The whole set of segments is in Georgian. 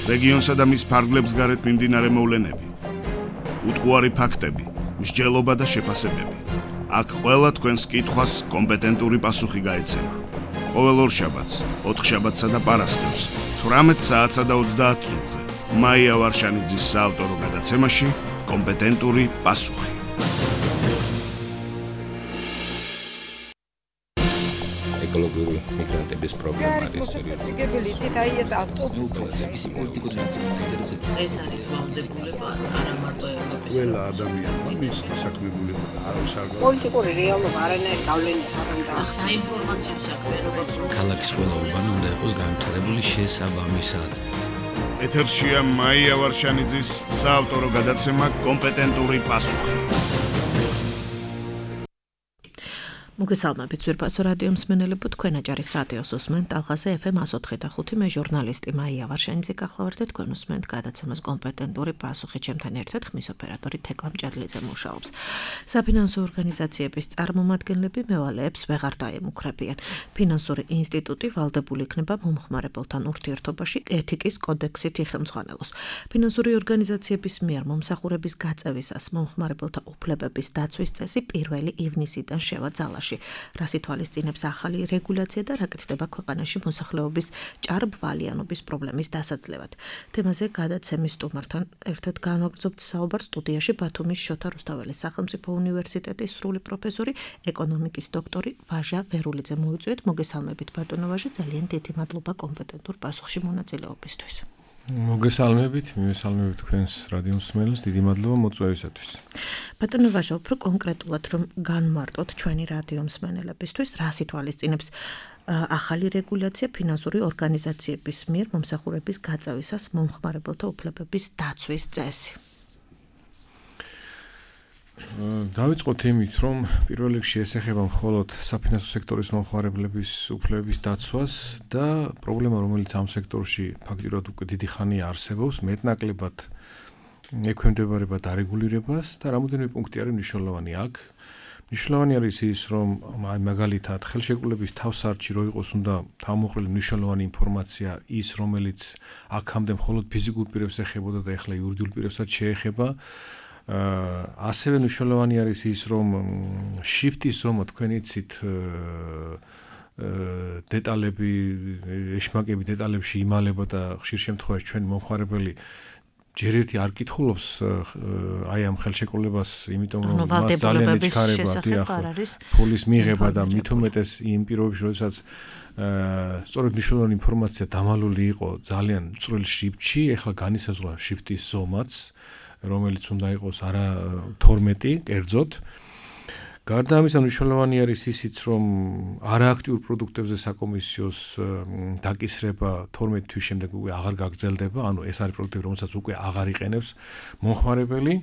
რეგიონსა და მის ფარგლებს გარეთ მიმდინარე მოვლენები, უტყუარი ფაქტები, მსჯელობა და შეფასებები. აქ ყველა თქვენს კითხვას კომპეტენტური პასუხი გაეცემა. ყოველ ორშაბათს, ოთხშაბათსა და პარასკევს, 18 საათსა და 30 წუთზე, მაია ვარშანიძის საავტორო გადაცემაში კომპეტენტური პასუხი. ეკოლოგიური მიგრანტების პრობლემა არის მოსაწესრიგებელი ცითაი ეს ავტობუსი ის პოლიტიკური ნაწილი მაინტერესებს ეს არის ვალდებულება არა მარტო ევროპის ყველა ადამიანმა მის დასაქმებულება და არავის არ პოლიტიკური რეალობა არანაირ გავლენას არ უნდა საინფორმაციო საქმიანობა ქალაქის ყველა უბანი უნდა იყოს განვითარებული შესაბამისად. ეთერშია მაია ვარშანიძის საავტორო გადაცემა კომპეტენტური პასუხი. მოგესალმებით ძვირფასო რადიო მსმენელებო, თქვენ აჭარის რადიოს უსმენთ ალხაზე FM 104.5 მე ჟურნალისტი მაია ვარშანიძე გახლავართ და თქვენ უსმენთ გადაცემას კომპეტენტური პასუხი. ჩემთან ერთად ხმის ოპერატორი თეკლა მჭადლიძე მუშაობს. საფინანსო ორგანიზაციების წარმომადგენლები მევალეებს ვეღარ დაემუქრებიან. ფინანსური ინსტიტუტი ვალდებული იქნება მომხმარებელთან ურთიერთობაში ეთიკის კოდექსით იხელმძღვანელოს. ფინანსური ორგანიზაციების მიერ მომსახურების გაწევისას მომხმარებელთა უფლებების დაცვის წესი 1 ივნისიდან შევა ძალაში. რას ითვალისწინებს ახალი რეგულაცია და რა კეთდება ქვეყანაში მოსახლეობის ჭარბვალიანობის პრობლემის დასაძლევად. თემაზე გადაცემის სტუმართან ერთად განვაგრძობთ საუბარს სტუდიაში ბათუმის შოთა რუსთაველის სახელმწიფო უნივერსიტეტის სრული პროფესორი, ეკონომიკის დოქტორი ვაჟა ვერულიძე. მოიწვიეთ, მოგესალმებით ბატონო ვაჟა, ძალიან დიდი მადლობა კომპეტენტურ პასუხში მონაწილეობისთვის. მოგესალმებით, მივესალმებით თქვენს რადიო მსმენელს, დიდი მადლობა მოწვევისათვის. ბატონო ვაჟა, უფრო კონკრეტულად რომ განმარტოთ ჩვენი რადიო მსმენელებისთვის, რას ითვალისწინებს ახალი რეგულაცია ფინანსური ორგანიზაციების მიერ მომსახურების გაწევისას მომხმარებელთა უფლებების დაცვის წესი. დავიწყოთ იმით, რომ პირველ რიგში ეს ეხება მხოლოდ საფინანსო სექტორის მომხმარებლების უფლებების დაცვას და პრობლემა, რომელიც ამ სექტორში ფაქტიურად უკვე დიდი ხანია არსებობს, მეტნაკლებად ექვემდებარება დარეგულირებას და რამოდენიმე პუნქტი არის მნიშვნელოვანი აქ. მნიშვნელოვანი არის ის, რომ მაგალითად ხელშეკრულების თავსარჩი რო იყოს, უნდა თავმოყრილი მნიშვნელოვანი ინფორმაცია ის, რომელიც აქამდე მხოლოდ ფიზიკურ პირებს ეხებოდა და ეხლა იურიდიულ პირებსაც შეეხება. ასევე მნიშვნელოვანი არის ის, რომ შიფტის ზომა თქვენ იცით დეტალები, ეშმაკები დეტალებში იმალება და ხშირ შემთხვევაში ჩვენი მომხმარებელი ჯერ ერთი არ კითხულობს აი ამ ხელშეკრულებას, იმიტომ რომ მას ძალიან ეჩქარება ფულის მიღება და მით უმეტეს იმ პირობებში, როდესაც სწორედ მნიშვნელოვანი ინფორმაცია დამალული იყო ძალიან წვრილ შიფტში, ეხლა განისაზღვრა შიფტის ზომაც, რომელიც უნდა იყოს არა 12 კერძოდ. გარდა ამისა მნიშვნელოვანი არის ისიც, რომ არააქტიურ პროდუქტებზე საკომისიოს დაკისრება 12 თვის შემდეგ უკვე აღარ გაგრძელდება, ანუ ეს არის პროდუქტები, რომელსაც უკვე აღარ იყენებს მომხმარებელი.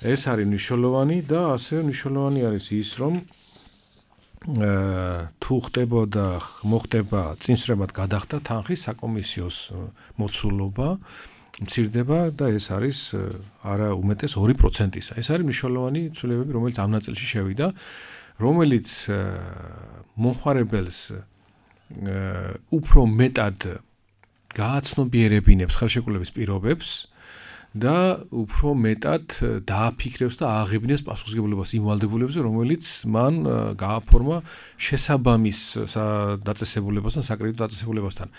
ეს არის მნიშვნელოვანი და ასევე მნიშვნელოვანი არის ის, რომ თუ ხდებოდა მოხდება წინსვრებად გადახდა თანხის საკომისიოს მოცულობა მცირდება და ეს არის არა უმეტეს 2%-ისა. ეს არის მნიშვნელოვანი ცვლილებები, რომელიც ამ ნაწილში შევიდა, რომელიც მომხმარებელს უფრო მეტად გააცნობიერებინებს ხელშეკრულების პირობებს და უფრო მეტად დააფიქრებს და ააღებინებს პასუხისმგებლობას იმ ვალდებულებებზე, რომელიც მან გააფორმა შესაბამის დაწესებულებასთან, საკრედიტო დაწესებულებასთან.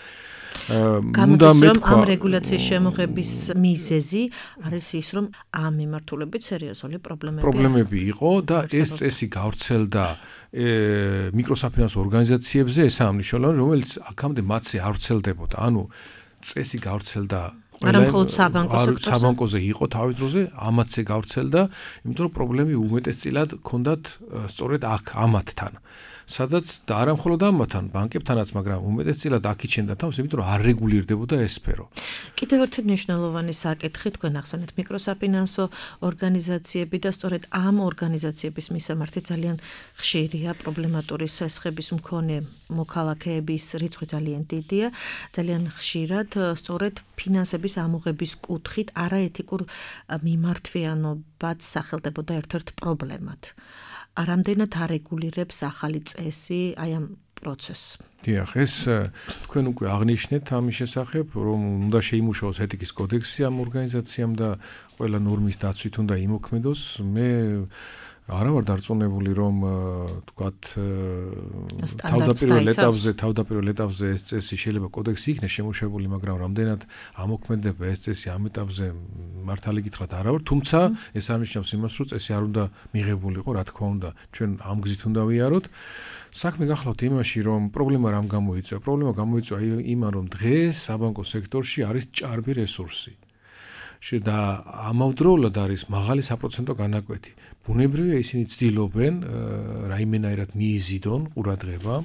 გამოდის რომ ამ რეგულაციის შემოღების მიზეზი არის ის, რომ ამ მიმართულებით სერიოზული პრობლემები იყო და ეს წესი გავრცელდა მიკროსაფინანსო ორგანიზაციებზე, ესაა მნიშვნელოვანი, რომელიც აქამდე მათზე არ ვრცელდებოდა. ანუ წესი გავრცელდა საბანკოზე იყო თავის დროზე, ამათზე გავრცელდა, იმიტომ რომ პრობლემები უმეტესწილად ჰქონდათ სწორედ აქ ამათთან. სადაც და არა მხოლოდ ამათთან, ბანკებთანაც, მაგრამ უმეტესწილად აქიჩენდა თავს, იმიტომ რომ არ რეგულირდებოდა ეს სფერო. კიდევ ერთი მნიშვნელოვანი საკითხი, თქვენ ახსენეთ მიკროსაფინანსო ორგანიზაციები და სწორედ ამ ორგანიზაციების მისამართი ძალიან ხშირია პრობლემატური სესხების მქონე მოქალაქეების რიცხვი ძალიან დიდია, ძალიან ხშირად სწორედ ფინანსების ამოღების კუთხით არაეთიკურ მიმართვიანობად სახელდებოდა ერთ-ერთ პრობლემად. Რამდენად არეგულირებს ახალი წესი აი ამ პროცესს. დიახ, ეს თქვენ უკვე აღნიშნეთ ამის შესახებ, რომ უნდა შეიმუშაოს ეთიკის კოდექსი ამ ორგანიზაციამ და ყველა ნორმის დაცვით უნდა იმოქმედოს. მე არა ვარ დარწმუნებული, რომ თქვათ თავდაპირველ ეტაპზე ეს წესი შეიძლება კოდექსი იქნეს შემუშავებული, მაგრამ რამდენად ამოქმედება ეს წესი ამ ეტაპზე მართალი გითხრათ არა ვარ, თუმცა ეს არნიშნავს იმას, რომ წესი არ უნდა მიღებულიყო, რა თქმა უნდა, ჩვენ ამ გზით უნდა ვიაროთ. საქმე გახლავთ იმაში, რომ პრობლემა რამ გამოიწვია? პრობლემა გამოიწვია იმან, რომ დღეს საბანკო სექტორში არის ჭარბი რესურსი. და ამავდროულად არის მაღალი საპროცენტო განაკვეთი. ბუნებრივია ისინი ცდილობენ რაიმენაირად მიიზიდონ ყურადღება,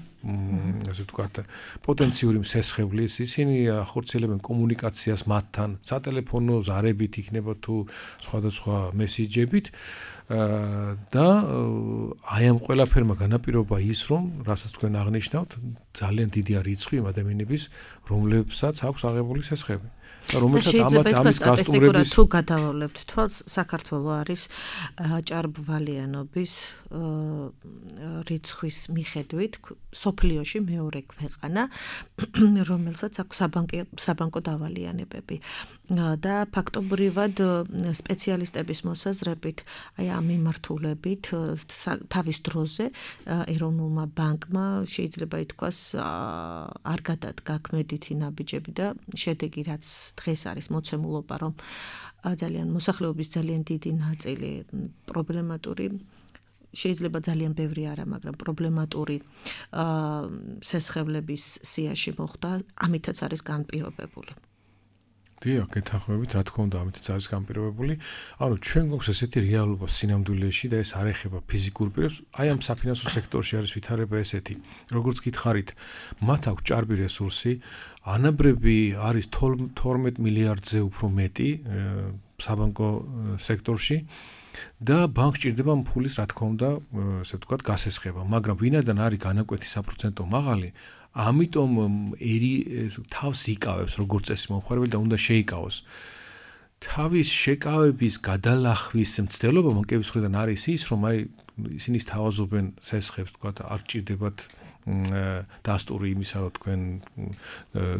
ასე ვთქვათ, პოტენციური მსესხებლის, ისინი ახორციელებენ კომუნიკაციას მათთან, სატელეფონო ზარებით იქნება თუ სხვადასხვა მესიჯებით და აი ამ ყველაფერმა განაპირობა ის, რომ რასაც თქვენ აღნიშნავთ, ძალიან დიდია რიცხვი იმ ადამიანების, რომლებსაც აქვს აღებული სესხები. და რომელსაც ამის გასტუმრების თუ გადავავლებთ თვალს, საქართველო არის ჭარბვალიანობის რიცხვის მიხედვით სოფლიოში მეორე ქვეყანა, რომელსაც აქვს საბანკო დავალიანებები და ფაქტობრივად სპეციალისტების მოსაზრებით, აი ამ მიმართულებით თავის დროზე ეროვნულმა ბანკმა შეიძლება ითქვას არ გადადგა ქმედითი ნაბიჯები და შედეგი რაც დღეს არის მოცემულობა, რომ ძალიან მოსახლეობის ძალიან დიდი ნაწილი პრობლემატური შეიძლება ძალიან ბევრი არა, მაგრამ პრობლემატური სესხებლების სიაში მოხდა, ამითაც არის განპირობებული. დიახ, გეთანხმებით, რა თქმა უნდა, ამითაც არის განპირობებული. ანუ ჩვენ გვაქვს ესეთი რეალობა სინამდვილეში და ეს არ ეხება ფიზიკურ პირებს. აი ამ საფინანსო სექტორში არის ვითარება ესეთი. როგორც გითხარით, მათ აქვს ჭარბი რესურსი, ანაბრები არის 12 მილიარდზე უფრო მეტი საბანკო სექტორში. და ბანკს ჭირდება ფულის, რა თქმა უნდა, ესე ვთქვათ, გასესხება, მაგრამ ვინადან არის განაკვეთი საპროცენტო მაღალი, ამიტომ თავს იკავებს როგორც წესი მომხმარებელი და უნდა შეიკავოს. თავის შეკავების გადალახვის მცდელობა ბანკების მხრიდან არის ის, რომ აი ისინი თავაზობენ სესხებს, ვთქვათ, არ ჭირდებათ დასტური იმისა, რომ თქვენ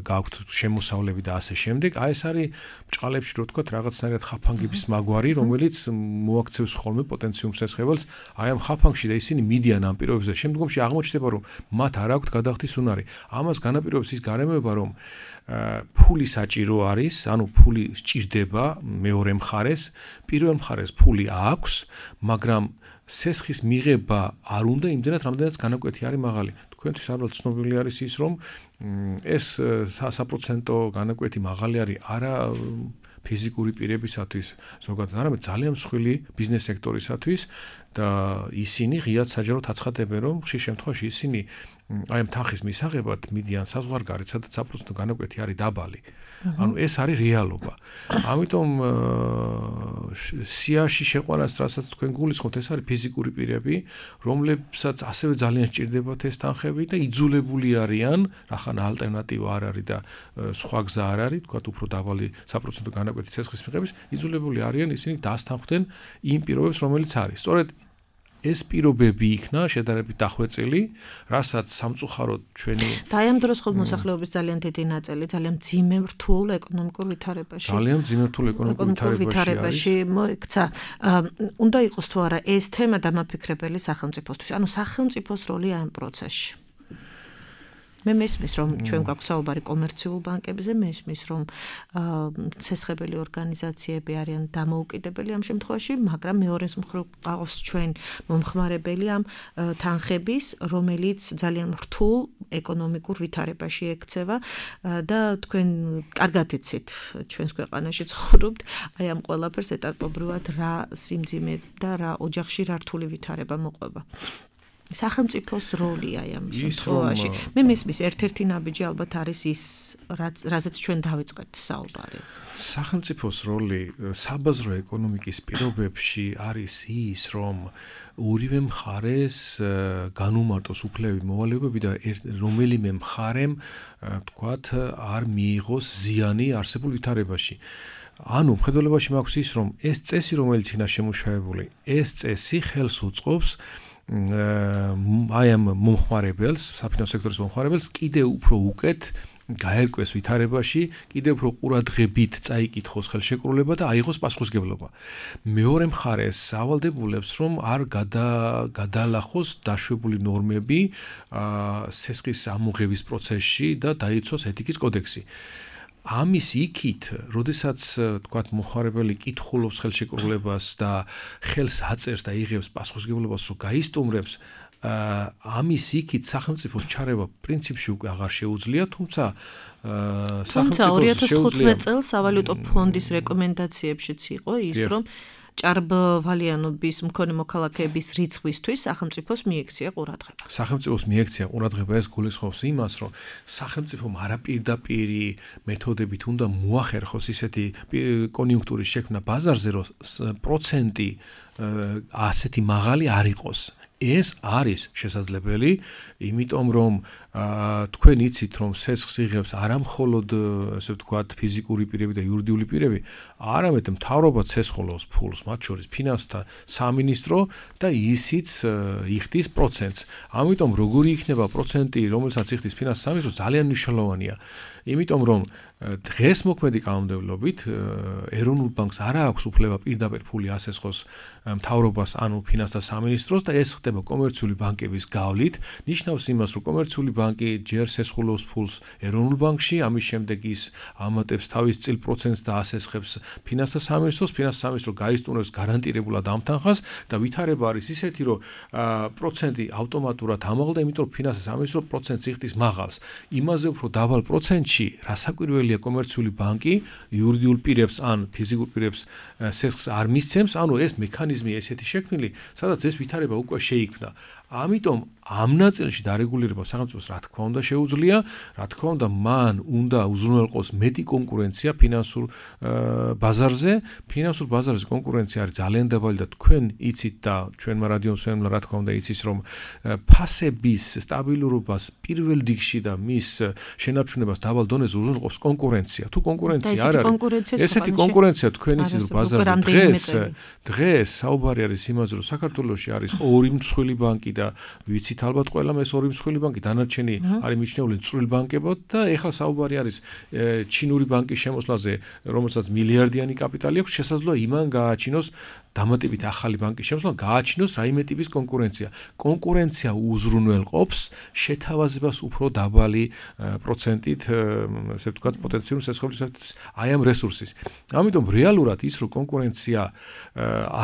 გაქვთ შემოსავლები და ასე შემდეგ. აი ეს არის ბჭყალებში, რო ვთქვათ, რაღაცნაირად ხაფანგების მაგვარი, რომელიც მოაქცევს ხოლმე პოტენციურ მსესხებელს. აი ამ ხაფანგში და ისინი მიდიან ამ პირობებზე. შემდგომში აღმოჩნდება, რომ მათ არ აქვთ გადახდის უნარი. ამას განაპირობებს ის გარემოება, რომ ფული საჭირო არის, ანუ ფული სჭირდება მეორე მხარეს, პირველ მხარეს ფული აქვს, მაგრამ სესხის მიღება არ უნდა იმდენად, რამდენად განაკვეთი არის მაღალი. თქვენთვის ალბათ ცნობილი არის ის, რომ ეს საპროცენტო განაკვეთი მაღალი არის არა ფიზიკური პირებისათვის, ზოგადად არამედ ძალიან მსხვილი ბიზნეს სექტორისათვის და ისინი ღიად საჯაროდ აცხადებენ, რომ ხშირ შემთხვევაში ისინი აი ამ თანხის მისაღებად მიდიან საზღვარგარეთ, სადაც საპროცენტო განაკვეთი არის დაბალი. ანუ ეს არის რეალობა. ამიტომ სიაში შეყვანას, რასაც თქვენ გულისხმობთ, ეს არის ფიზიკური პირები, რომლებსაც ასევე ძალიან სჭირდებათ ეს თანხები და იძულებული არიან, რახან ალტერნატივა არ არის და სხვა გზა არ არის, თქვათ უფრო დაბალი საპროცენტო განაკვეთი სესხის მიღების, იძულებული არიან ისინი დასთანხმდნენ იმ პირობებს, რომელიც არის. სწორედ ეს პირობები იქნა შედარებით დახვეწილი, რასაც სამწუხაროდ ჩვენი და აი ამ დროს ხო მოსახლეობის ძალიან დიდი ნაწილი ძალიან მძიმე რთულ ეკონომიკურ ვითარებაში. ძალიან მძიმე რთულ ეკონომიკურ ვითარებაში მოიქცა. უნდა იყოს თუ არა ეს თემა დამაფიქრებელი სახელმწიფოსთვის. ანუ სახელმწიფოს როლი ამ პროცესში. მე მესმის, რომ ჩვენ გვაქვს საუბარი კომერციულ ბანკებზე, მესმის, რომ სესხებელი ორგანიზაციები არიან დამოუკიდებელი ამ შემთხვევაში, მაგრამ მეორეს მხრივ ყავს ჩვენ მომხმარებელი ამ თანხების, რომელიც ძალიან რთულ ეკონომიკურ ვითარებაში ექცევა და თქვენ კარგად იცით, ჩვენს ქვეყანაში ცხოვრობთ, აი ამ ყველაფერს ეტაპობრივად რა სიმძიმე და რა ოჯახში რა რთული ვითარება მოყვება. სახელმწიფოს როლი აი ამ შემთხვევაში. მე მესმის ერთ-ერთი ნაბიჯი ალბათ არის ის, რაზეც ჩვენ დავიწყეთ საუბარი. სახელმწიფოს როლი საბაზრო ეკონომიკის პირობებში არის ის, რომ ორივე მხარეს განუმარტოს უფლები მოვალეობები და რომელიმე მხარემ, თქვათ, არ მიიღოს ზიანი არსებულ ვითარებაში. ანუ მხედველობაში მაქვს ის, რომ ეს წესი, რომელიც იქნა შემუშავებული, ეს წესი ხელს უწყობს აი ამ მომხმარებელს, საფინანსო სექტორის მომხმარებელს კიდევ უფრო უკეთ გაერკვეს ვითარებაში, კიდევ უფრო ყურადღებით წაიკითხოს ხელშეკრულება და აიღოს პასუხისმგებლობა. მეორე მხარეს სავალდებულებს რომ არ გადაალახოს დაშვებული ნორმები სესხის ამოღების პროცესში და დაიცვას ეთიკის კოდექსი. ამის იქით, როდესაც თქვათ მომხმარებელი კითხულობს ხელშეკრულებას და ხელს აწერს და იღებს პასუხისმგებლობას, რომ გაისტუმრებს ამის იქით სახელმწიფოს ჩარევა პრინციპში უკვე აღარ შეუძლია, თუმცა 2015 წელს სავალუტო ფონდის რეკომენდაციებშიც იყო ის, რომ ჭარბვალიანობის მქონე მოქალაქეების რიცხვისთვის სახელმწიფოს მიექცია ყურადღება. სახელმწიფოს მიექცია ყურადღება ეს გულისხმობს იმას, რომ სახელმწიფომ არაპირდაპირი მეთოდებით უნდა მოახერხოს ისეთი კონიუნქტურის შექმნა ბაზარზე, რომ პროცენტი ასეთი მაღალი არ იყოს. ეს არის შესაძლებელი, იმიტომ რომ თქვენ იცით რომ სესხს იღებს არა მხოლოდ ესე ვთქვათ ფიზიკური პირები და იურიდიული პირები, არამედ მთავრობა ცესხოლავს ფულს, მათ შორის ფინანსთა სამინისტრო და ისიც იხდის პროცენტს. ამიტომ როგორი იქნება პროცენტი, რომელსაც იხდის ფინანსთა სამინისტრო, ძალიან მნიშვნელოვანია. იმიტომ რომ დღეს მოქმედი კანონმდებლობით ეროვნულ ბანკს არ აქვს უფლება პირდაპირ ფული ასესხოს მთავრობას ანუ ფინანსთა სამინისტროს და ეს ხდება კომერციული ბანკების გავლით. ნიშნავს იმას, რომ კომერციული ბანკი ჯერ სესხულობს ფულს ეროვნულ ბანკში, ამის შემდეგ ის ამატებს თავის წილ პროცენტს და ასესხებს ფინანსთა სამინისტროს, ფინანსთა სამინისტრო გაისტუმრებს გარანტირებულად ამ თანხას და ვითარება არის ისეთი, რომ პროცენტი ავტომატურად ამაღლდა, იმიტომ რომ ფინანსთა სამინისტრო პროცენტს იხდის მაღალს. იმაზე უფრო დაბალ პროცენტში რასაკვირველია კომერციული ბანკი იურიდიულ პირებს ან ფიზიკურ პირებს სესხს არ მისცემს, ანუ ეს მექანიზმი ესეთი შექმნილი, სადაც ეს ვითარება უკვე შეიქმნა. ამიტომ ამ ნაწილში დარეგულირება სახელმწიფოს რა თქმა უნდა შეუძლია, რა თქმა უნდა მან უნდა უზრუნველყოს მეტი კონკურენცია ფინანსურ ბაზარზე. ფინანსურ ბაზარზე კონკურენცია არის ძალიან დაბალი და თქვენ იცით და ჩვენმა რადიომსმენელმა რა თქმა უნდა იცის, რომ ფასების სტაბილურობას პირველ რიგში და მის შენარჩუნებას დაბალ დონეზე უზრუნველყოფს კონკურენცია. თუ კონკურენცია არ არის, ესეთი კონკურენცია თქვენ იცით რომ ბაზარზე დღეს საუბარი არის იმაზე, რომ საქართველოში არის ორი მსხვილი ბანკი და ვიცით ალბათ ყველამ ეს ორი მსხვილი ბანკი, დანარჩენი არის მიჩნეული წვრილ ბანკებად და ეხლა საუბარი არის ჩინური ბანკის შემოსვლაზე, რომელსაც მილიარდიანი კაპიტალი აქვს, შესაძლოა იმან გააჩინოს დამატებით ახალი ბანკის შემოსვლა, გააჩინოს რაიმე ტიპის კონკურენცია. კონკურენცია უზრუნველყოფს შეთავაზებას უფრო დაბალი პროცენტით, ესე ვთქვათ, პოტენციურ სესხობრივ აი ამ რესურსის. ამიტომ რეალურად ის რომ კონკურენცია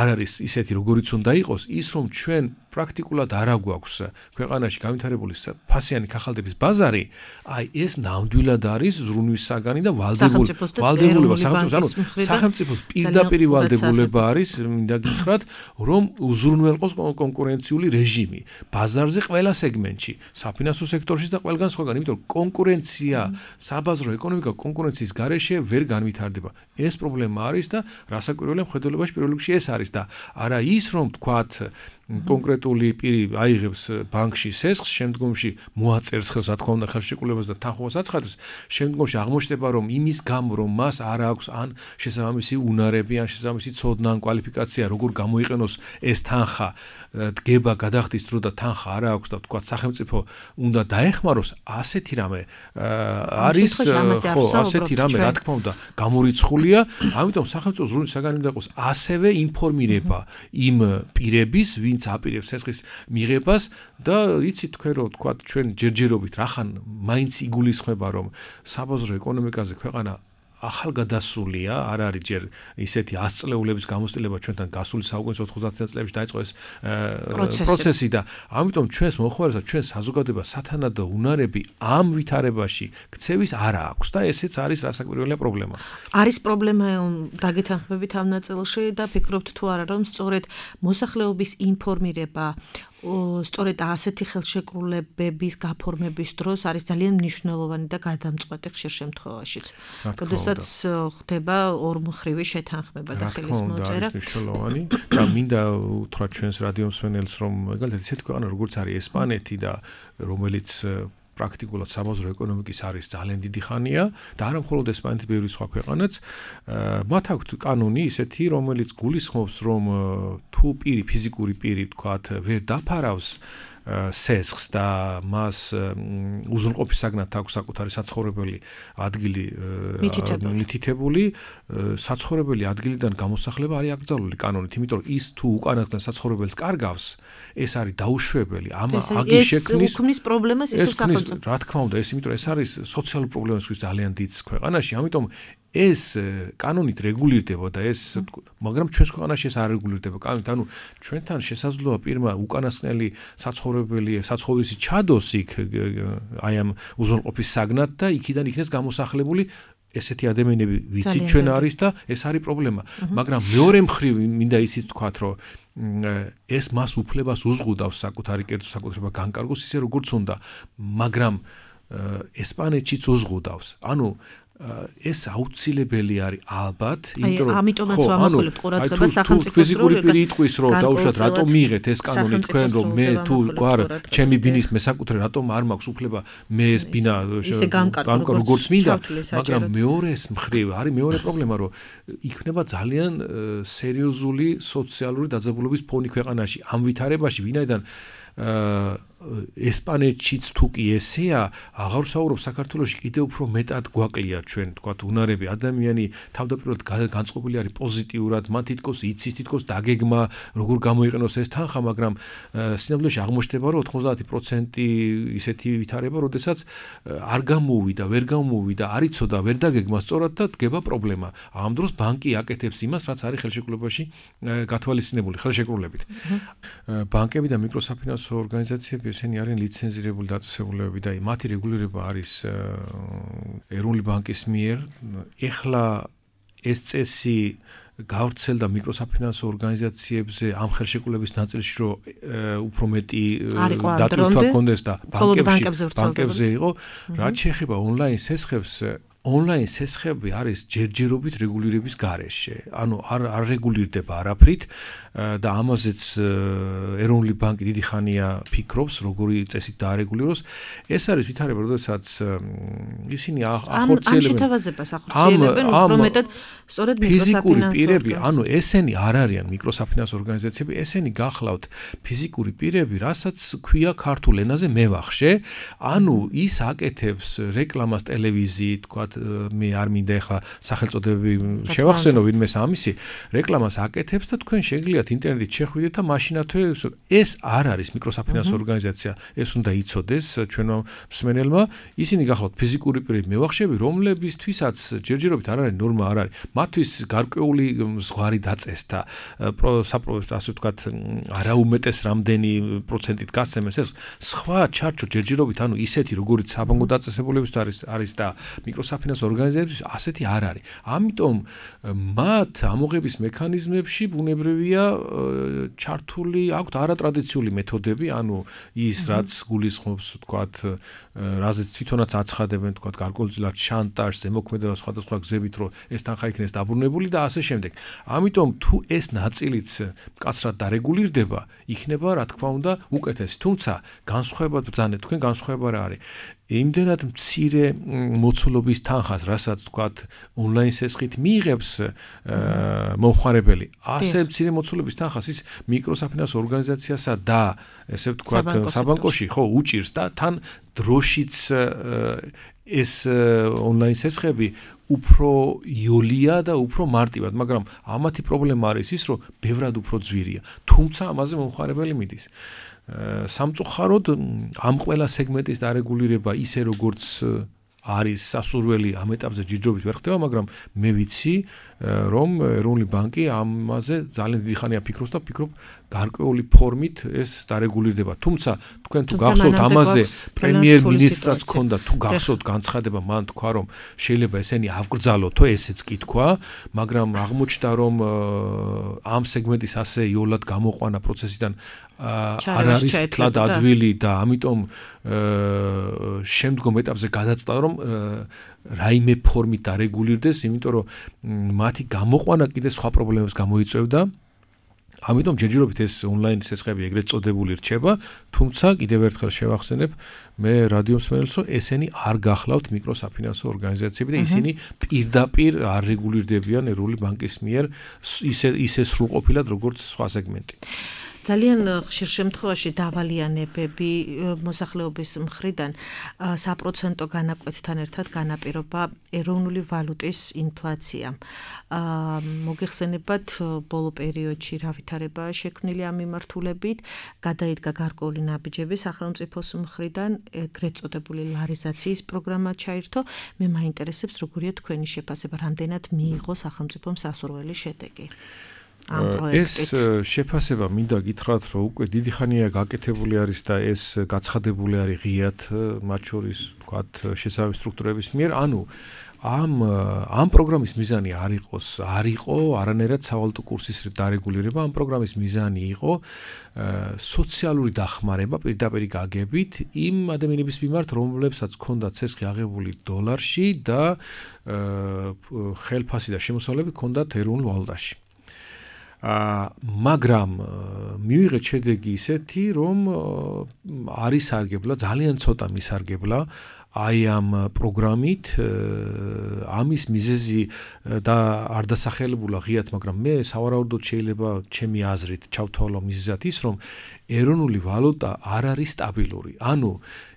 არ არის ისეთი როგორიც უნდა იყოს, ის რომ ჩვენ პრაქტიკულად არ აგვაქვს ქვეყანაში განვითარებული ფასიანი ქაღალდების ბაზარი, აი ეს ნამდვილად არის ზრუნვის საგანი და ვალდებულება სახელმწიფოს პირდაპირი ვალდებულება არის, მინდა გითხრათ, რომ უზრუნველყოს კონკურენციული რეჟიმი ბაზარზე ყველა სეგმენტში, საფინანსო სექტორში და ყველგან სხვაგან, იმიტომ რომ კონკურენცია, საბაზრო ეკონომიკა კონკურენციის გარეშე ვერ განვითარდება. ეს პრობლემა არის და რასაკვირველია მხედველობაში პირველ რიგში ეს არის და არა ის რომ თქვათ კონკრეტული პირი აიღებს ბანკში სესხს, შემდგომში მოაწერს ხელს, რა თქმა უნდა, ხელშეკრულებას და თანხმობას აცხადებს, შემდგომში აღმოჩნდება, რომ იმის გამო, რომ მას არ აქვს ან შესაბამისი უნარები, ან შესაბამისი ცოდნა, ან კვალიფიკაცია, როგორ გამოიყენოს ეს თანხა, დგება, გადახდის დრო და თანხა არ აქვს და თქვა სახელმწიფო უნდა დაეხმაროს, ასეთი რამე არის, ხო, ასეთი რამე, რა თქმა უნდა, გამორიცხულია, ამიტომ სახელმწიფო ზრუნვის საგანი უნდა იყოს ასევე ინფორმირება იმ პირების, ვინც აპირებს სესხის მიღებას და იცით თქვენ რომ თქვა ჩვენ ჯერჯერობით რახან მაინც იგულისხმება რომ საბაზრო ეკონომიკაზე ქვეყანა ახალგადასულია, არ არის ჯერ ისეთი 100 წლეულების გამოცდილება ჩვენთან გასული საუკუნის 90 წლებში დაიწყო ეს პროცესი და ამიტომ ჩვენს მოხმარებელს ჩვენ საზოგადოება სათანადო უნარები ამ ვითარებაში ქცევის არ აქვს და ესეც არის რასაკვირველია პრობლემა. არის პრობლემა დაგეთანხმებით ამ ნაწილში და ფიქრობთ თუ არა რომ სწორედ მოსახლეობის ინფორმირება სწორედ ასეთი ხელშეკრულებების გაფორმების დროს არის ძალიან მნიშვნელოვანი და გადამწყვეტი ხშირ შემთხვევაშიც. როდესაც ხდება ორმხრივი შეთანხმება და ხელის მოწერა. არის მნიშვნელოვანი და მინდა უთხრათ ჩვენს რადიომსმენელს, რომ მაგალითად ისეთი ქვეყანა როგორც არის ესპანეთი და რომელიც პრაქტიკულად საბაზრო ეკონომიკის არის ძალიან დიდი ხანია და არა მხოლოდ ესპანეთი, ბევრი სხვა ქვეყანაც. მათ აქვთ კანონი ისეთი, რომელიც გულისხმობს, რომ თუ პირი, ფიზიკური პირი, თქვათ, ვერ დაფარავს სესხს და მას უზრუნყოფისაგნად აქვს საკუთარი საცხოვრებელი ადგილი მითითებული, საცხოვრებელი ადგილიდან გამოსახლება არის აკრძალული კანონით, იმიტომ რომ ის თუ უკანასკნელ საცხოვრებელს კარგავს, ეს არის დაუშვებელი. ეს უქმნის პრობლემას ისევ სახელმწიფო. რა თქმა უნდა, ეს იმიტომ რომ ეს არის სოციალური პრობლემისთვის ძალიან დიდ ქვეყანაში, ამიტომ ეს კანონით რეგულირდება და ეს მაგრამ ჩვენს ქვეყანაში ეს არ რეგულირდება კანონით, ანუ ჩვენთან შესაძლოა პირმა უკანასკნელი საცხოვრისი ჩადოს იქ აი ამ უზრუნყოფის საგნად და იქიდან იქნეს გამოსახლებული ესეთი ადამიანები ვიცით ჩვენ არის და ეს არის პრობლემა, მაგრამ მეორე მხრივ მინდა ისიც თქვათ, რომ ეს მას უფლებას უზღუდავს საკუთარი კერძო საკუთრება განკარგოს ისე როგორც უნდა, მაგრამ ესპანეთშიც უზღუდავს. ანუ ეს აუცილებელი არის ალბათ, იმიტომ რომ ამიტომაც ვამახვილებთ ყურადღება სახელმწიფოს ფიზიკური პირი იტყვის რომ დაუშვათ რატომ მიიღეთ ეს კანონი თქვენ რომ მე თუ ჩემი ბინის მესაკუთრე რატომ არ მაქვს უფლება მე ეს ბინა განკარგო როგორც მინდა, მაგრამ მეორეს მხრივ არის მეორე პრობლემა რომ იქნება ძალიან სერიოზული სოციალური დაძაბულობის ფონი ქვეყანაში ამ ვითარებაში, ვინაიდან ესპანეთშიც თუ კი ესეა, აღარ ვსაუბრობ საქართველოში კიდევ უფრო მეტად გვაკლია ჩვენ თქვათ უნარები, ადამიანი თავდაპირველად განწყობილი არის პოზიტიურად, მან თითქოს იცის, თითქოს დაგეგმა როგორ გამოიყენოს ეს თანხა, მაგრამ სინამდვილეში აღმოჩნდება რომ 90% ისეთი ვითარება, როდესაც არ გამოვიდა, ვერ გამოვიდა, არ იცოდა, ვერ დაგეგმა სწორად და დგება პრობლემა. ამ დროს ბანკი აკეთებს იმას, რაც არის ხელშეკრულებაში გათვალისწინებული, ხელშეკრულებით. ბანკები და მიკროსაფინანსო ორგანიზაციები ესენი არიან ლიცენზირებული დაწესებულებები და მათი რეგულირება არის ეროვნული ბანკის მიერ. ეხლა ეს წესი გავრცელდა მიკროსაფინანსო ორგანიზაციებზე ამ ხელშეკრულების ნაწილში, რომ უფრო მეტი დატვირთვა ჰქონდეს და ბანკებზე იყო. რაც შეეხება ონლაინ სესხებს, ონლაინ სესხები არის ჯერჯერობით რეგულირების გარეშე. ანუ არ რეგულირდება არაფრით და ამაზეც ეროვნული ბანკი დიდი ხანია ფიქრობს, როგორი წესით დაარეგულიროს. ეს არის ვითარება, როდესაც ისინი ახორციელებენ. ამ შეთავაზებას ახორციელებენ უფრო მეტად სწორედ ფიზიკური პირები, ანუ ესენი არ არიან მიკროსაფინანსო ორგანიზაციები, ესენი გახლავთ ფიზიკური პირები, რასაც ქვია ქართულ ენაზე მევახშე. ანუ ის აკეთებს რეკლამას ტელევიზიით, თქვა მე არ მინდა ახლა სახელწოდებები შევახსენო ვინმეს ამისი რეკლამას აკეთებს და თქვენ შეგიძლიათ ინტერნეტით შეხვიდეთ და მაშინათვე ეს არ არის მიკროსაფინანსო ორგანიზაცია, ეს უნდა იცოდეს ჩვენო მსმენელმა. ისინი გახლავთ ფიზიკური პირები მევახშები, რომლებისთვისაც ჯერჯერობით არ არის ნორმა, არ არის მათთვის გარკვეული ზღვარი დაწესდა, ასე ვთქვათ, არაუმეტეს რამდენი პროცენტით გასცემეს ეს სხვა ჩარჩო ჯერჯერობით, ანუ ისეთი როგორც საბანკო დაწესებულებებს არის და მიკროსაფინანსო ორგანიზაციების ასეთი არ არის. ამიტომ მათ ამოღების მექანიზმებში ბუნებრივია ჩართული აქვთ არატრადიციული მეთოდები, ანუ ის რაც გულისხმობს, ვთქვათ, რაზეც თვითონაც აცხადებენ, ვთქვათ, გარკვეულწილად შანტაჟს, ზემოქმედება სხვადასხვა გზებით, რომ ეს თანხა იქნეს დაბრუნებული და ასე შემდეგ. ამიტომ თუ ეს ნაწილიც მკაცრად დარეგულირდება, იქნება, რა თქმა უნდა, უკეთესი. თუმცა განსხვავებად ბრძანეთ, თქვენ განსხვავება რა არის? იმდენად მცირე მოცულობის თანხას, რასაც ვთქვათ, ონლაინ სესხით მიიღებს მომხმარებელი, ასე მცირე მოცულობის თანხას ის მიკროსაფინანსო ორგანიზაციასა და ესე ვთქვათ, საბანკოში ხო უჭირს და თან დროშიც ეს ონლაინ სესხები უფრო იოლია და უფრო მარტივად, მაგრამ ამათი პრობლემა არის ის, რომ ბევრად უფრო ძვირია. თუმცა ამაზე მომხმარებელი მიდის. სამწუხაროდ ამ ყველა სეგმენტის დარეგულირება ისე როგორც არის სასურველი ამ ეტაპზე ჯიჯობით ვერ ხდება, მაგრამ მე ვიცი, რომ ეროვნული ბანკი ამაზე ძალიან დიდი ხანია ფიქრობს და ფიქრობ გარკვეული ფორმით ეს დარეგულირდება. თუმცა თქვენ თუ გახსოვთ ამაზე პრემიერ-მინისტრაც ქონდა, თუ გახსოვთ განცხადება, მან თქვა, რომ შეიძლება ესენი ავკრძალოთო, ესეც კი თქვა, მაგრამ აღმოჩნდა, რომ ამ სეგმენტის ასე იოლად გამოყვანა პროცესიდან არ არის თლად ადვილი და ამიტომ შემდგომ ეტაპზე გადაწყვეტა, რომ რაიმე ფორმით დარეგულირდეს, იმიტომ რომ მათი გამოყვანა კიდე სხვა პრობლემებს გამოიწვევდა. ამიტომ ჯერჯერობით ეს ონლაინ სესხები ეგრეთ წოდებული რჩება, თუმცა კიდევ ერთხელ შევახსენებ მე რადიო მსმენელს, რომ ესენი არ გახლავთ მიკროსაფინანსო ორგანიზაციები და ისინი პირდაპირ არ რეგულირდებიან ეროვნული ბანკის მიერ ისე სრულყოფილად როგორც სხვა სეგმენტი. ძალიან ხშირ შემთხვევაში დავალიანებები მოსახლეობის მხრიდან საპროცენტო განაკვეთთან ერთად განაპირობა ეროვნული ვალუტის ინფლაცია. მოგეხსენებათ ბოლო პერიოდში რა ვითარებაა შექმნილი ამ მიმართულებით, გადაიდგა გარკვეული ნაბიჯები სახელმწიფოს მხრიდან, ეგრეთ წოდებული ლარიზაციის პროგრამა ჩაირთო. მე მაინტერესებს როგორია თქვენი შეფასება, რამდენად მიიღო სახელმწიფომ სასურველი შედეგი. ეს შეფასება მინდა გითხრათ, რომ უკვე დიდი ხანია გაკეთებული არის და ეს გაცხადებული არის ღიად მათ შორის ვთქვათ შესაბამის სტრუქტურების მიერ, ანუ ამ პროგრამის მიზანი არ იყო არანაირად სავალუტო კურსის დარეგულირება, ამ პროგრამის მიზანი იყო სოციალური დახმარება პირდაპირ გაგებით იმ ადამიანების მიმართ, რომლებსაც ჰქონდათ ცესხი აღებული დოლარში და ხელფასი და შემოსავლები ჰქონდათ ეროვნულ ვალუტაში. მაგრამ მივიღეთ შედეგი ისეთი, რომ არ ისარგებლა, ძალიან ცოტა მისარგებლა აი ამ პროგრამით, ამის მიზეზი და არ დასახელებულა ღიად, მაგრამ მე სავარაუდოდ შეიძლება ჩემი აზრით ჩავთვალო მიზეზად ის, რომ ეროვნული ვალუტა არ არის სტაბილური. ანუ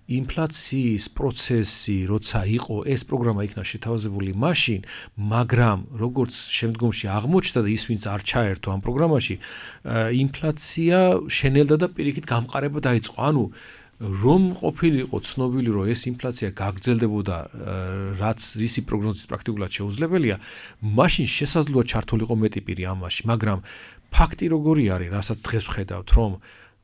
ინფლაციის პროცესი, როცა იყო ეს პროგრამა იქნა შეთავაზებული მაშინ, მაგრამ როგორც შემდგომში აღმოჩნდა და ის ვინც არ ჩაერთო ამ პროგრამაში, ინფლაცია შენელდა და პირიქით გამყარება დაიწყო. ანუ რომ ყოფილიყო ცნობილი, რომ ეს ინფლაცია გაგრძელდებოდა, რაც რისი პროგნოზის პრაქტიკულად შეუძლებელია, მაშინ შესაძლოა ჩართულიყო მეტი პირი ამაში, მაგრამ ფაქტი როგორი არის, რასაც დღეს ვხედავთ, რომ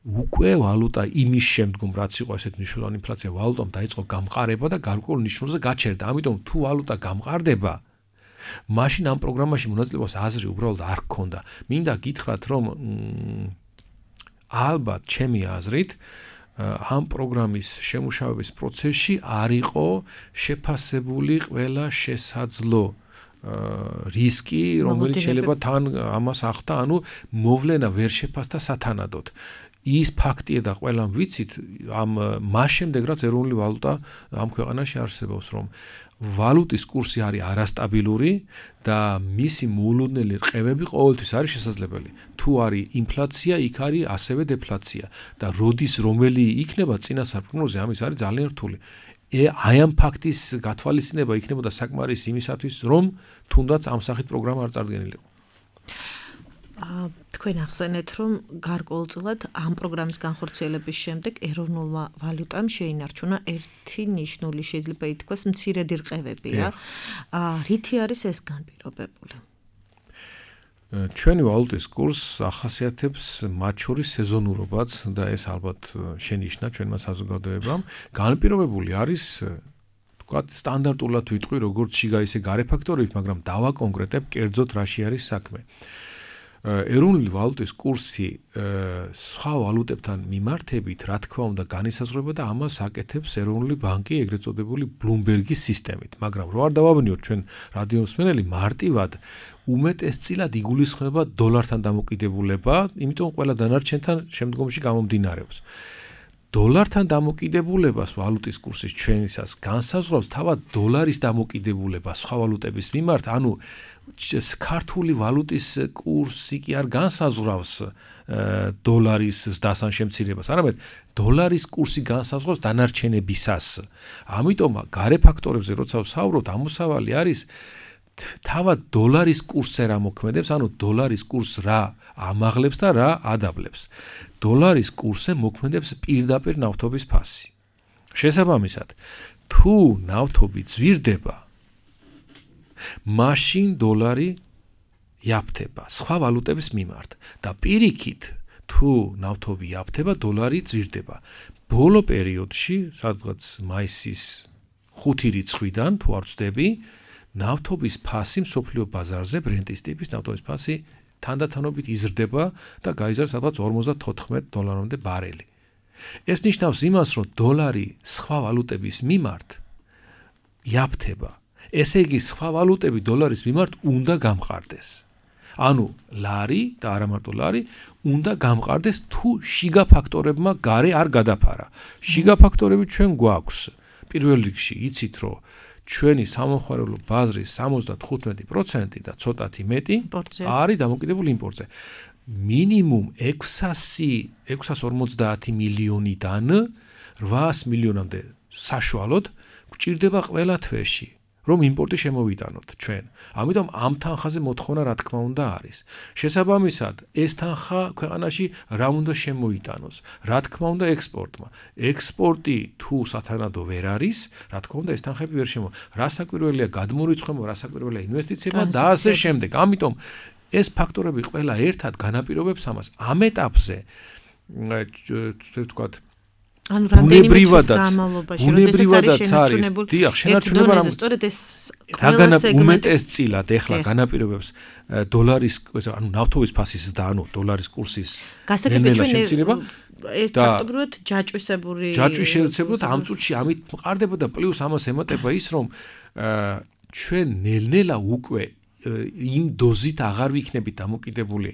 უკვე ვალუტა იმის შემდგომ, რაც იყო ესეთ მნიშვნელოვანი ინფლაცია, ვალუტამ დაიწყო გამყარება და გარკვეულ ნიშნულზე გაჩერდა. ამიტომ თუ ვალუტა გამყარდება, მაშინ ამ პროგრამაში მონაწილეობას აზრი უბრალოდ არ გქონდა. მინდა გითხრათ, რომ ალბათ ჩემი აზრით ამ პროგრამის შემუშავების პროცესში არ იყო შეფასებული ყველა შესაძლო რისკი, რომელიც შეიძლება თან ამას ახდა, ანუ მოვლენა ვერ შეფასდა სათანადოდ. ის ფაქტია და ყველამ ვიცით, მას შემდეგ რაც ეროვნული ვალუტა ამ ქვეყანაში არსებობს, რომ ვალუტის კურსი არის არასტაბილური და მისი მოულოდნელი რყევები ყოველთვის არის შესაძლებელი. თუ არის ინფლაცია, იქ არის ასევე დეფლაცია და როდის რომელი იქნება წინასწარ პროგნოზი, ამის არის ძალიან რთული. აი ამ ფაქტის გათვალისწინება იქნებოდა საკმარისი იმისათვის, რომ თუნდაც ამ სახით პროგრამა არ წარდგენილიყო. თქვენ ახსენეთ, რომ გარკვეულწილად ამ პროგრამის განხორციელების შემდეგ ეროვნულმა ვალუტამ შეინარჩუნა ერთი ნიშნული, შეიძლება ითქვას, მცირედი რყევებია. რითი არის ეს განპირობებული? ჩვენი ვალუტის კურსს ახასიათებს მათ შორის სეზონურობაც და ეს ალბათ შენიშნა ჩვენმა საზოგადოებამ. განპირობებული არის ვთქვათ, სტანდარტულად ვიტყვი, როგორც შიგა ისე გარე ფაქტორებით, მაგრამ დავაკონკრეტებ კერძოდ რაში არის საქმე. ეროვნული ვალუტის კურსი სხვა ვალუტებთან მიმართებით, რა თქმა უნდა, განისაზღვრება და ამას აკეთებს ეროვნული ბანკი, ეგრეთ წოდებული ბლუმბერგის სისტემით. მაგრამ რო არ დავაბნიოთ ჩვენ რადიო მსმენელი, მარტივად უმეტესწილად იგულისხმება დოლართან დამოკიდებულება, იმიტომ ყველა დანარჩენთან შემდგომში გამომდინარეობს. დოლართან დამოკიდებულებას ვალუტის კურსის ჩვენისას განსაზღვრავს თავად დოლარის დამოკიდებულება სხვა ვალუტების მიმართ, ანუ ქართული ვალუტის კურსი კი არ განსაზღვრავს დოლარის ზრდასთან შემცირებას, არამედ დოლარის კურსი განსაზღვრავს დანარჩენებისას. ამიტომ გარე ფაქტორებზე როცა ვსაუბრობთ, ამოსავალი არის თავად დოლარის კურსზე რა მოქმედებს, ანუ დოლარის კურსს რა ამაღლებს და რა ადაბლებს. დოლარის კურსზე მოქმედებს პირდაპირ ნავთობის ფასი. შესაბამისად, თუ ნავთობი ძვირდება, მაშინ დოლარი იაფთება სხვა ვალუტების მიმართ და პირიქით, თუ ნავთობი იაფთება, დოლარი ძვირდება. ბოლო პერიოდში, სადღაც მაისის 5 რიცხვიდან, თუ არ ვცდები, ნავთობის ფასი მსოფლიო ბაზარზე, ბრენტის ტიპის ნავთობის ფასი თანდათანობით იზრდება და გაიზარდა სადღაც $54 ბარელი. ეს ნიშნავს იმას, რომ დოლარი სხვა ვალუტების მიმართ იაფთება. ესე იგი, სხვა ვალუტები დოლარის მიმართ უნდა გამყარდეს. ანუ ლარი და არა მარტო ლარი უნდა გამყარდეს თუ შიგა ფაქტორებმა გარე არ გადაფარა. შიგა ფაქტორები ჩვენ გვაქვს. პირველ რიგში იცით რომ ჩვენი სამომხმარებლო ბაზრის 75% და ცოტათი მეტი არის დამოკიდებული იმპორტზე. მინიმუმ 650 მილიონიდან 800 მილიონამდე საშუალოდ გვჭირდება ყველა თვეში, რომ იმპორტი შემოვიტანოთ ჩვენ. ამიტომ ამ თანხაზე მოთხოვნა რა თქმა უნდა არის. შესაბამისად, ეს თანხა ქვეყანაში რა უნდა შემოიტანოს? რა თქმა უნდა ექსპორტმა. ექსპორტი თუ სათანადო ვერ არის, რა თქმა უნდა ეს თანხები ვერ შემო. რა საკვირველია გადმორიცხვება, რა საკვირველია ინვესტიციება და ასე შემდეგ. ამიტომ ეს ფაქტორები ყველა ერთად განაპირობებს ამას. ამ ეტაპზე ვთქვათ ანუ ბუნებრივადაც არის. დიახ, შენარჩუნება უმეტესწილად ეხლა განაპირობებს დოლარის, ანუ ნავთობის ფასის და ანუ დოლარის კურსის გასაგებია შემცირება. ფაქტობრივად ჯაჭვიშეცებლად ამ წუთში ამით მყარდება და პლუს ამას ემატება ის რომ ჩვენ ნელ-ნელა უკვე იმ დოზით აღარ ვიქნებით დამოკიდებული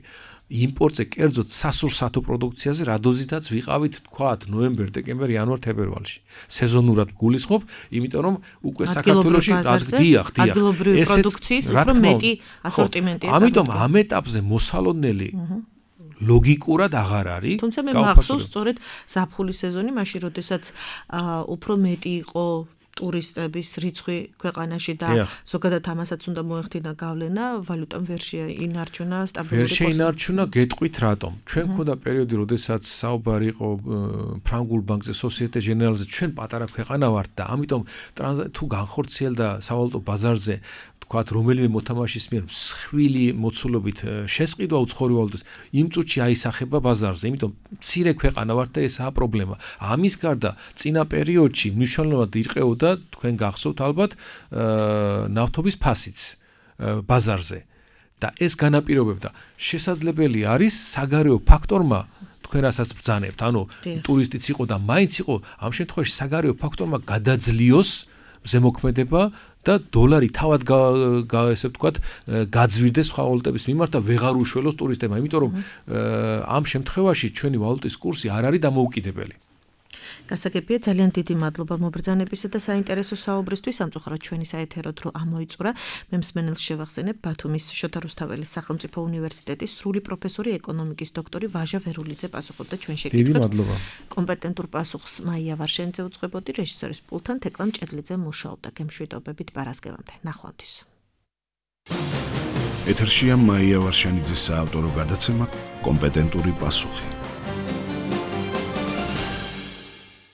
იმპორტზე, კერძოდ სასურსათო პროდუქციაზე, რა დოზითაც ვიყავით, თქვათ, ნოემბერ, დეკემბერ, იანვარ, თებერვალში. სეზონურად გულისხმობ, იმიტომ რომ უკვე საქართველოში დიახ, ადგილობრივი პროდუქციის უფრო მეტი ასორტიმენტია. ამიტომ ამ ეტაპზე მოსალოდნელი ლოგიკურად აღარ არის. თუმცა მე მახსოვს სწორედ ზაფხულის სეზონი, მაშინ როდესაც უფრო მეტი იყო ტურისტების რიცხვი ქვეყანაში და ზოგადად ამასაც უნდა მოეხდინა გავლენა, ვალუტამ ვერ შეინარჩუნა სტაბილური ვერ შეინარჩუნა, გეტყვით რატომ. ჩვენ მქონდა პერიოდი, როდესაც საუბარი იყო ფრანგულ ბანკზე, Société Générale-ზე, ჩვენ პატარა ქვეყანა ვართ და ამიტომ თუ განხორციელდა სავალუტო ბაზარზე თქვათ რომელიმე მოთამაშის მიერ მსხვილი მოცულობით შესყიდვა უცხოური ვალუტის, იმ წუთში აისახება ბაზარზე, იმიტომ მცირე ქვეყანა ვართ და ესაა პრობლემა. ამის გარდა წინა პერიოდში მნიშვნელოვნად ირყეოდა თქვენ გახსოვთ ალბათ ნავთობის ფასიც ბაზარზე და ეს განაპირობებდა. შესაძლებელი არის საგარეო ფაქტორმა თქვენ რასაც ბრძანებთ, ანუ ტურისტიც იყო და მაინც იყო, ამ შემთხვევაში საგარეო ფაქტორმა გადაძლიოს ზემოქმედება და დოლარი თავად ესე ვთქვათ გაძვირდეს სხვა ვალუტების მიმართ და ვეღარ უშველოს ტურისტებმა, იმიტომ რომ ამ შემთხვევაში ჩვენი ვალუტის კურსი არ არის დამოუკიდებელი. გასაგებია, ძალიან დიდი მადლობა მობრძანებისა და საინტერესო საუბრისთვის. სამწუხაროდ ჩვენი საეთერო დრო ამოიწურა. მე მსმენელს შევახსენებ ბათუმის შოთა რუსთაველის სახელმწიფო უნივერსიტეტის სრული პროფესორი, ეკონომიკის დოქტორი ვაჟა ვერულიძე პასუხობდა ჩვენ შეკითხვებს. დიდი მადლობა. კომპეტენტურ პასუხს მაია ვარშენიძე უძღვებოდი, რეჟისორის პულტთან თეკლა მჭედლიძე მუშაობდა. გემშვიდობებით პარასკევამდე. ნახვამდის. ეთერშია მაია ვარშენიძის საავტორო გადაცემა კომპეტენტური პასუხი.